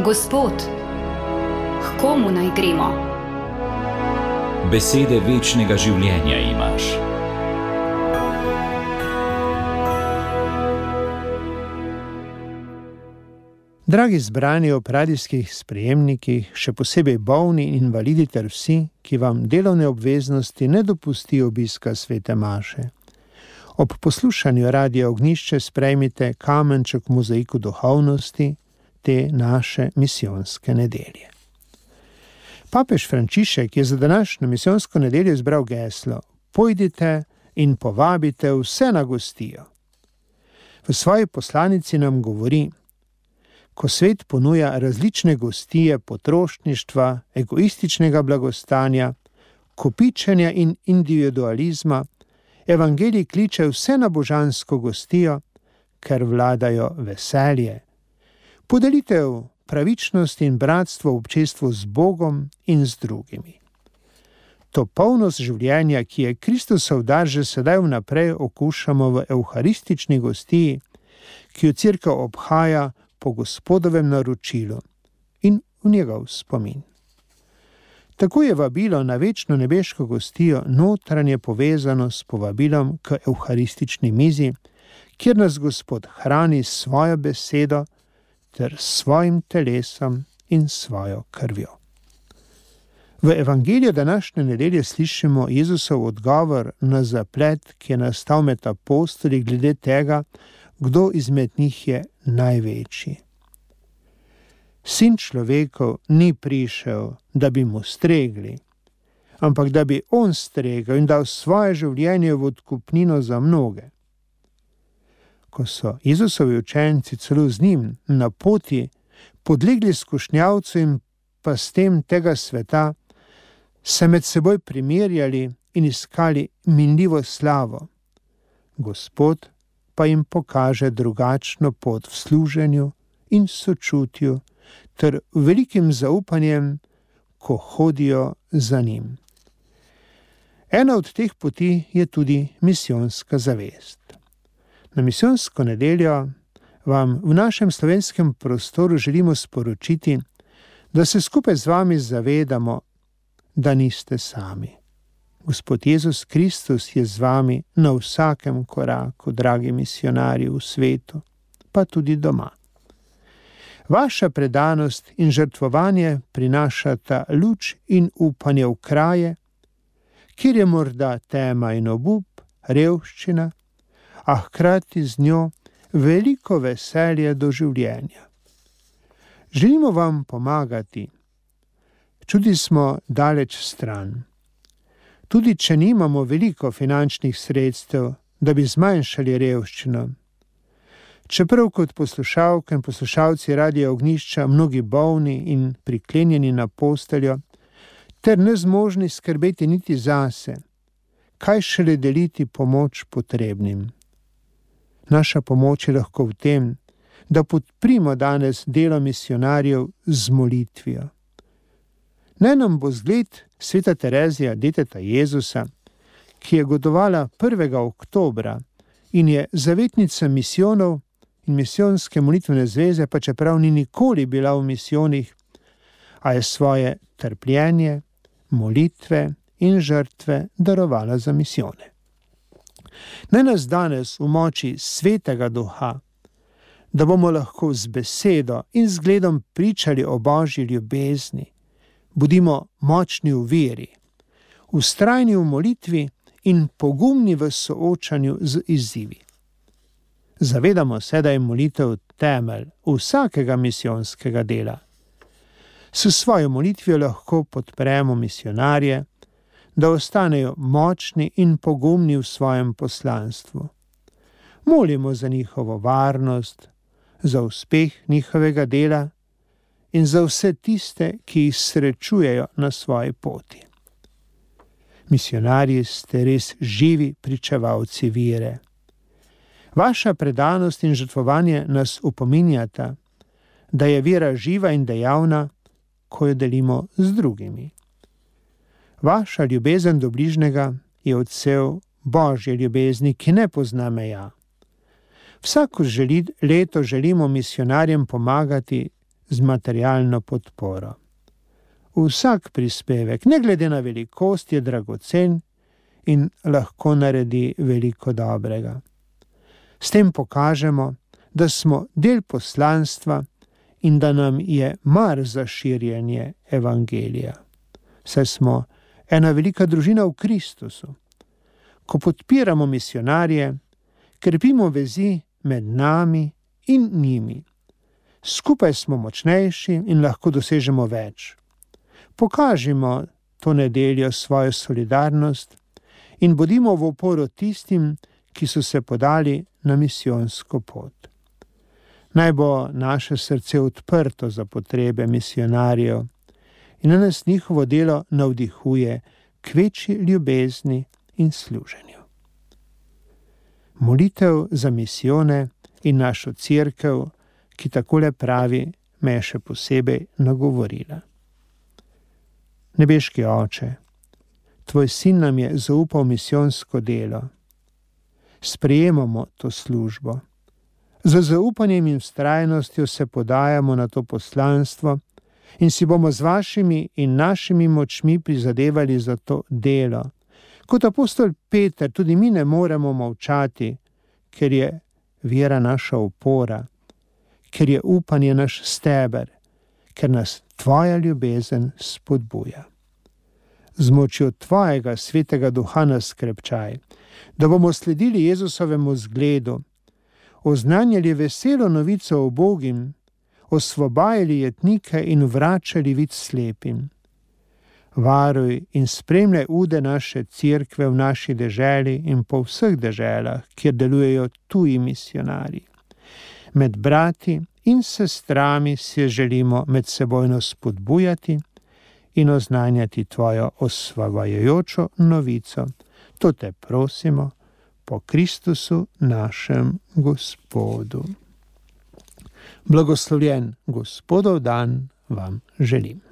Gospod, k komu naj gremo? Besede večnega življenja imaš. Dragi zbrani ob radijskih sprejemnikih, še posebej bolni in invalidi ter vsi, ki vam delovne obveznosti ne dopustijo obiska svete maše. Ob poslušanju Radia Ognjišče sprejmite kamenček v mozaiku duhovnosti te naše misijonske nedelje. Papež Frančišek je za današnjo misijonsko nedeljo izbral geslo: Pojdite in povabite vse na gostijo. V svoji poslanici nam govori: ko svet ponuja različne gostije potrošništva, egoističnega blagostanja, kopičenja in individualizma, evangelij kliče vse na božansko gostijo, ker vladajo veselje, podelitev, pravičnost in bratstvo v občestvu z Bogom in z drugimi. To polnost življenja, ki je Kristusov dar, že sedaj vnaprej okušamo v evharistični gostiji, ki jo Cerkev obhaja po Gospodovem naročilu in v njegov spomin. Tako je vabilo na večno nebeško gostijo notranje povezano s povabilom k evharistični mizi, kjer nas Gospod hrani s svojo besedo ter svojim telesom in svojo krvjo. V evangeliju današnje nedelje slišimo Jezusov odgovor na zaplet, ki je nastal med apostoli glede tega, kdo izmed njih je največji. Sin človekov ni prišel, da bi mu stregli, ampak da bi on stregel in dal svoje življenje v odkupnino za mnoge. Ko so Jezusovi učenci celo z njim na poti podlegli skušnjavcu in pastem tega sveta, se med seboj primerjali in iskali minljivo slavo. Gospod pa jim pokaže drugačno pot v služenju in sočutju ter velikim zaupanjem, ko hodijo za njim. Ena od teh poti je tudi misijonska zavest. Na misijonsko nedeljo vam v našem slovenskem prostoru želimo sporočiti, da se skupaj z vami zavedamo, da niste sami. Gospod Jezus Kristus je z vami na vsakem koraku, dragi misionarji v svetu, pa tudi doma. Vaša predanost in žrtvovanje prinašata luč in upanje v kraje, kjer je morda tema in obup, revščina, a hkrati z njo veliko veselje do življenja. Želimo vam pomagati, čudi smo daleč stran. Tudi če nimamo veliko finančnih sredstev, da bi zmanjšali revščino. Čeprav kot poslušalke in poslušalci Radia Ognjišča mnogi bolni in priklenjeni na posteljo, ter nezmožni skrbeti niti zase, kaj šele deliti pomoč potrebnim. Naša pomoč je lahko v tem, da podprimo danes delo misionarjev z molitvijo. Naj nam bo zgled sveta Terezija, deteta Jezusa, ki je godovala 1. oktobra in je zavetnica misijonov in misijonske molitvene zveze, pa čeprav ni nikoli bila v misijonih, a je svoje trpljenje, molitve in žrtve darovala za misijone. Naj nas danes v moči svetega duha, da bomo lahko z besedo in zgledom pričali o Božji ljubezni, bodimo močni v veri, vztrajni v molitvi in pogumni v soočanju z izzivi. Zavedamo se, da je molitev temelj vsakega misijonskega dela. S svojo molitvijo lahko podpremo misionarje, da ostanejo močni in pogumni v svojem poslanstvu. Molimo za njihovo varnost, za uspeh njihovega dela in za vse tiste, ki jih srečujejo na svoji poti. Misionarji ste res živi pričevalci vere. Vaša predanost in žrtvovanje nas upominjata, da je vera živa in dejavna, ko jo delimo z drugimi. Vaša ljubezen do bližnjega je odsev Božje ljubezni, ki ne pozna meja. Vsako leto želimo misionarjem pomagati z materialno podporo. Vsak prispevek, ne glede na velikost, je dragocen in lahko naredi veliko dobrega. S tem pokažemo, da smo del poslanstva in da nam je mar za širjenje evangelija. Saj smo ena velika družina v Kristusu. Ko podpiramo misionarje, krepimo vezi med nami in njimi. Skupaj smo močnejši in lahko dosežemo več. Pokažimo to nedeljo svojo solidarnost in bodimo v oporo tistim, ki so se podali na misijonsko pot. Naj bo naše srce odprto za potrebe misionarjev in naj nas njihovo delo navdihuje k večji ljubezni in služenju. Molitev za misijone in našo cerkev, ki takole pravi, me je še posebej nagovorila. Nebeški Oče, Tvoj sin nam je zaupal misijonsko delo. Sprejemamo to službo. Z zaupanjem in vztrajnostjo se podajamo na to poslanstvo in si bomo z vašimi in našimi močmi prizadevali za to delo. Kot apostol Peter tudi mi ne moremo molčati, ker je vera naša opora, ker je upanje naš steber, ker nas Tvoja ljubezen spodbuja. Z močjo Tvojega svetega duha nas krepčaj, da bomo sledili Jezusovemu zgledu, oznanjali veselo novico o Bogim, osvobajali jetnike in vračali vid slepim. Varuj in spremljaj ude naše cerkve v naši deželi in po vseh deželah, kjer delujejo tuji misionarji. Med brati in sestrami se želimo medsebojno spodbujati in oznanjati Tvojo osvobajajočo novico. To te prosimo po Kristusu našem Gospodu. Blagoslovljen Gospodov dan vam želim.